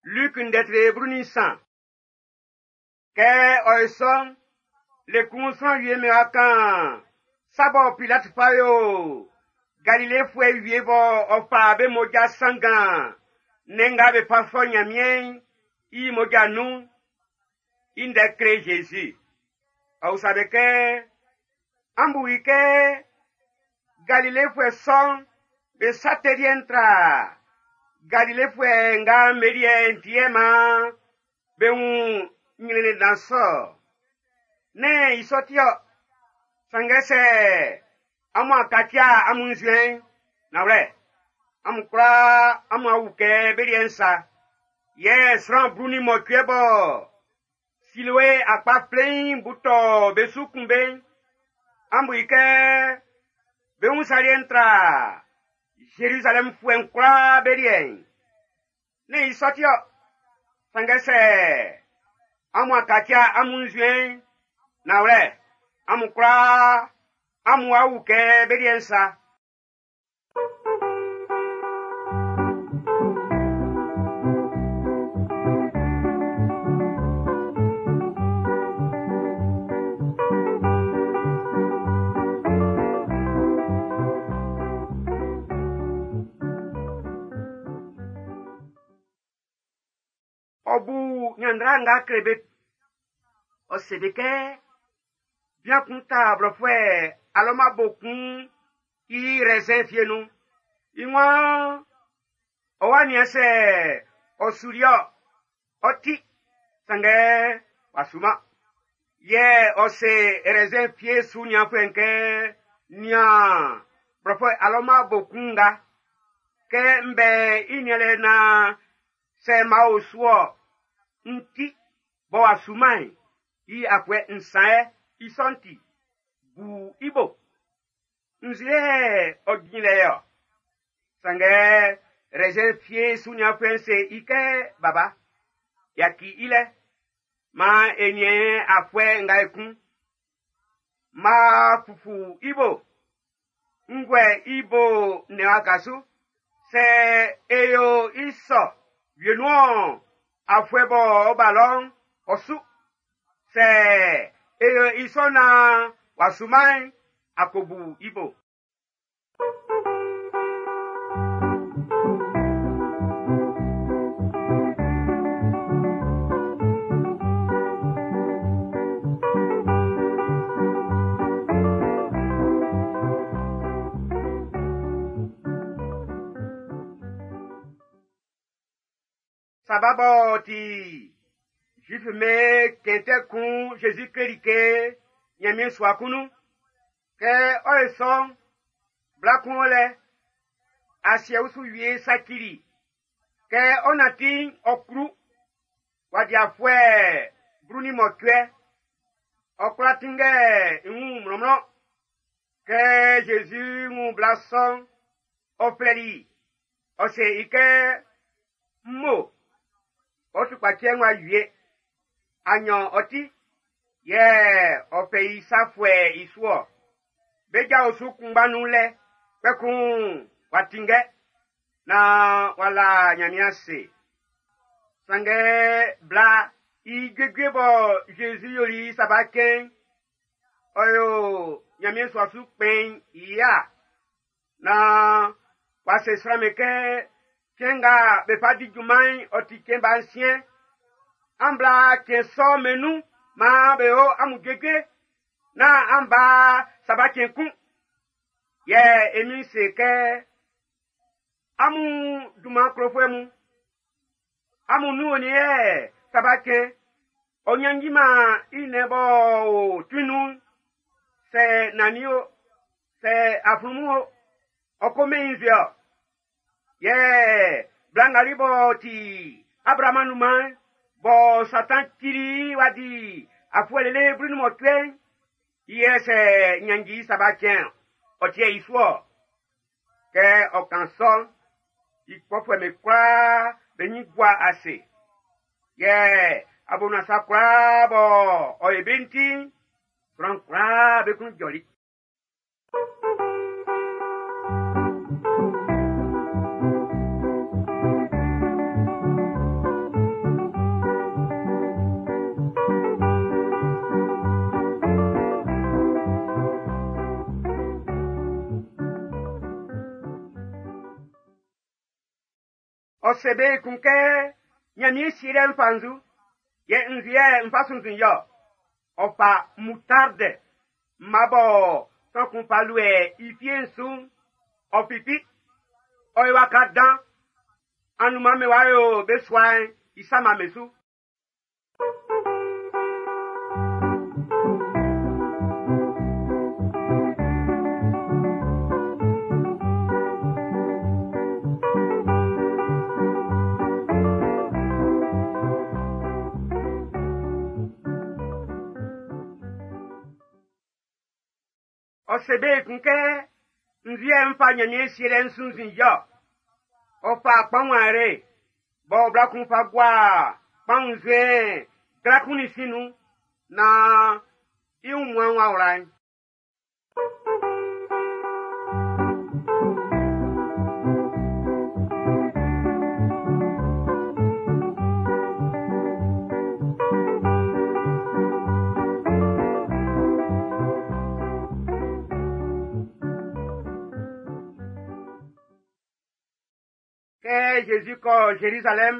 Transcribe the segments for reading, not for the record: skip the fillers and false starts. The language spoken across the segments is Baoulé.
Luc ndɛtre 13. Kɛ ɔ ye sɔ'n, le kun sran wie mɛn wa kan sa bɔ Pilat fa yo Galilefuɛ wie bɔ ɔ fa be mmoja sanngan nnɛn nga be fa sɔ Nyanmiɛn'n i mmoja nun'n, i ndɛ kle Zezi. Ɔ usa be kɛ, an bu i kɛ Galilefuɛ sɔ'n be sa tɛ liɛ'n tra Galilefuɛ nga be liɛ'n ti yɛ maan be wun ɲrɛnnɛn dan sɔ. Nɛ́n i sɔ ti-ɔ. Sanngɛ sɛ amun a kaci amun nzuɛn'n, nanwlɛ, amun kwlaa amun a wu kɛ be liɛ'n sa. Yɛ sran 18 bɔ Siloe akpa fleiin bu tɔ be su kun be'n, an bu i kɛ be wun sa liɛ'n tra Zerizalɛmfuɛ'n kwlaa be liɛ'n. Nɛ́n i sɔ ti-ɔ. Sanngɛ sɛ amun a kaci amun nzuɛn'n, nanwlɛ, amun kwlaa amun a wu kɛ be liɛ'n sa. Ɔ bu ɲanndra nga kle be. Ɔ se be kɛ, bian kun ta blɔfuɛ alɔma bo kun i rɛzɛn fie nun. I waan ɔ wa nian sɛ ɔ suli-ɔ, ɔ ti, sanngɛ w'a suman. Yɛ ɔ se rɛzɛn fie su nianfuɛ'n kɛ, nian blɔfuɛ alɔma bo kun nga, kɛ n bɛ i nianlɛ naan sɛ ma o su-ɔ, n ti, bɔ w'a suman'n, i afuɛ nsan yɛ, i sɔ'n ti, bu i bo. Nzue ɔ jin lɛ yɔ. Sanngɛ rɛzɛn fie su nianfuɛ'n se i kɛ, baba, yaki i lɛ, maan e niɛn afuɛ nga ekun. Ma fufu i bo, n guɛ i bo nnɛn waka su. Sɛ e yo i sɔ wienun-ɔn, afuɛ bɔ ɔ ba lɔ'n, ɔ su. Sɛ e yo i sɔ naan w'a suman'n, a ko bu i bo. Saba b'ɔ ti Zuif me kɛntɛ kun Jésus kleli ke Nyanmiɛn sua kun nun. Kɛ ɔ ye sɔ'n, bla kun o lɛ, asiɛ usu wie sacili. Kɛ ɔ nanti'n, ɔ klu. W'a di afuɛ 18. Ɔ kwla tinngɛ i wun mlɔnmlɔn. Kɛ Jésus wun bla sɔ'n, ɔ flɛli i. Ɔ se i kɛ, mmo, ɔ tukpacɛ'n w'a wie. A nyan ɔ ti, yɛ ɔ fɛ i sa fuɛ i su-ɔ. Be ja osu kunngba nun lɛ, kpɛkun w'a tinngɛ, naan w'a la Nyanmiɛn ase. Sanngɛ bla i juejue bɔ Jésus yoli i saba cɛn'n, ɔ yo Nyanmiɛn sua su kpɛn'n i ya, naan w'a se sran'm be kɛ cɛn nga be fa di junman'n ɔ ti cɛn ba nsiɛn. An bla cɛn sɔ'n be nun maan be yo amun juejue, naan an ba saba cɛn kun. Yɛ e Min'n se kɛ, amun dunman klofuɛ mun, amun nun onin yɛ saba cɛn, ɔ nyanji-man i nnɛn b'ɔ o tuin nun'n, sɛ nannin o, sɛ aflunmun o, ɔ ko mɛn i nzue-ɔ. Yɛ bla nga li b'ɔ ti Abraam anunman'n, bɔ Satan cili w'a di afuɛ lele 18, i yɛ sɛ nyanji saba cɛn, ɔ tiɛ i su-ɔ. Kɛ ɔ kan sɔ'n, i kpɔfuɛ'm be kwlaa be nyin gua ase. Yɛ abonuan sa kwlaa bɔ ɔ ye be'n ti'n, sran kwlaa be klun jɔli. Ɔ se be ekun kɛ Ɲanmiɛn Sielɛ'n fa nzu, yɛ nzu yɛ n fa sunnzun i-ɔ. Ɔ fa moutarde mma bɔ sran kun fa luɛ i fie'n su'n, ɔ fifi. Ɔ yo waka dan. Anunman be wa yo be sua'n i sama'm be su. Ɔ se be ekun kɛ nzu yɛ n fa Ɲanmiɛn Sielɛ'n sunnzun i-ɔ. Ɔ fa kpanwun ayre bɔ bla kun fa gua kpanwun nzuɛn gla kun nin sin nun naan i wunmuan'n w'a wla'n. Kɛ Zezi kɔ Zerizalɛm,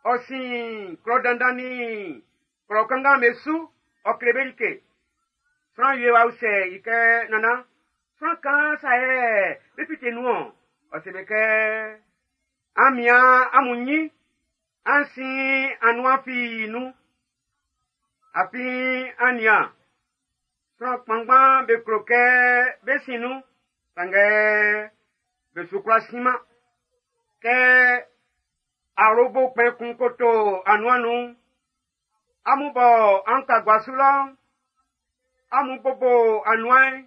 ɔ sin klɔ dandan nin klɔ kanngan'm be su, ɔ kle be like. Sran wie w'a usɛ i kɛ, Nannan, sran kaan sa yɛ be fite nun-ɔn? Ɔ se be kɛ, An mian amun ɲin, an sin anuan fii nun. Afin an nian, sran kpanngban be klo kɛ bé sín nun, sanngɛ be su kwlá sinman. Kɛ awlobo kpɛn kun koto anuan nun'n, amun bɔ an ka gua su lɔ'n, amun bobo anuan'n,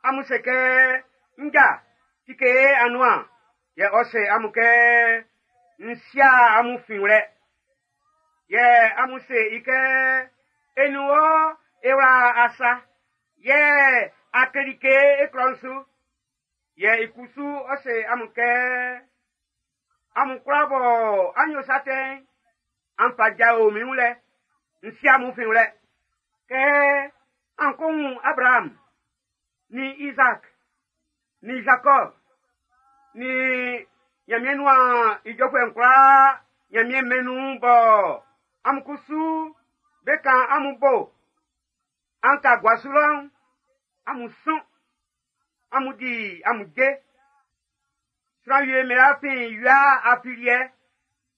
amun se kɛ, Nja, tike e anuan. Yɛ ɔ se amun kɛ, N si'a amun finwlɛ. Yɛ amun se i kɛ, E nin wɔ e wla asa, yɛ a kle like e klɔ'n su. Yɛ i kusu ɔ se amun kɛ, Amun kwlaa bɔ an yo sa tɛ'n, an fa jao min wun lɛ, n si amun finwlɛ. Kɛ an ko wun Abraham, nin Izaak, nin Zakɔb, nin Nyanmiɛn nuan ijɔfuɛ'n kwlaa Nyanmiɛn mɛn'n nun bɔ amun kusu be kan amun bo an ka gua su lɔ'n, amun sɔn, amun di amun je. Sran wie mɛn afin wia afiliɛ,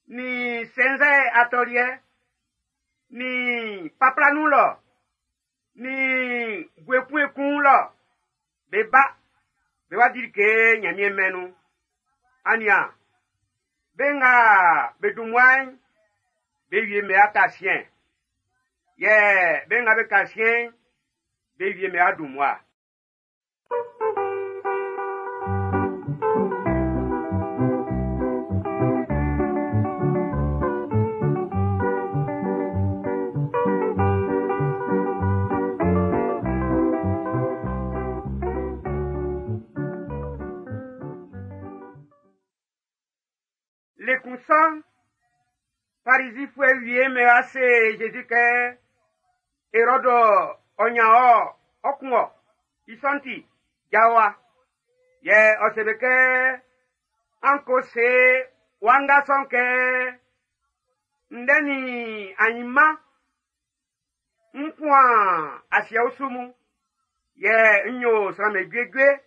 nin sɛnzɛ atɔliɛ, nin papla nun lɔ, nin bue kun lɔ, be ba, be wa di like Nyanmiɛn mɛn'n nun. An nian, be nga be dun mmua'n, be wie mɛn aka siɛn. Yɛ be nga be ka siɛn'n, be wie mɛn a dun mmua. Le kun sɔ'n, Farizifuɛ wie'm be wa se Zezi kɛ, Erɔdu ɔ nyan ɔ, ɔ kun ɔ. I sɔ'n ti, jao wa. Yɛ ɔ se be kɛ, An ko se wanga sɔ'n kɛ, Ndɛ nin anyinma, n fuan asiɛ usu mun, yɛ n yo sran'm be juejue.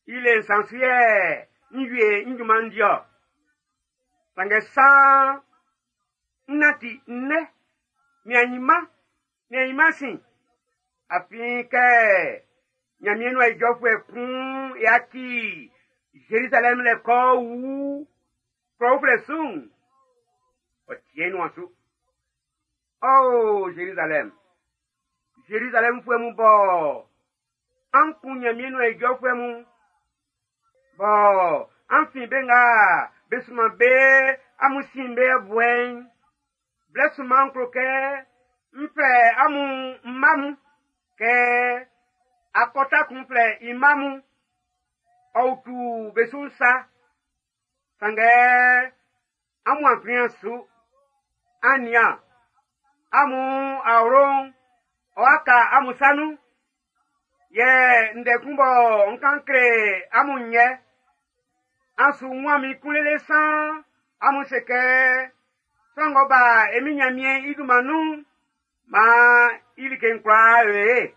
I le nsan su yɛ n wie n junman'n di-ɔ. Sanngɛ saan n nanti nnɛ, min anyinma, min anyinma sin. Afin kɛ Ɲanmiɛn nuan ijɔfuɛ kun yaci Zerizalɛmu lɛ kɔ wu klɔ uflɛ su'n, ɔ tie i nuan su. Ɔ Zerizalɛm, Zerizalɛmfuɛ mun bɔ an kun Ɲanmiɛn nuan ijɔfuɛ mun, bɔ an fin be nga be sunman be amun sin be buɛ'n, blɛ sunman klo kɛ n flɛ amun mma mun kɛ akɔta kun flɛ i mma mun, ɔ utu be su'n sa. Sanngɛ amun a kplihan su. An nian, amun awlo'n ɔ'a ka amun sa nun. Yɛ ndɛ kun bɔ n kan kle amun yɛ. An su wun min kun lele san amun se kɛ sran ng'ɔ ba e Min Nyanmiɛn i dunman nun'n, maan i like'n kwlaa yo ye.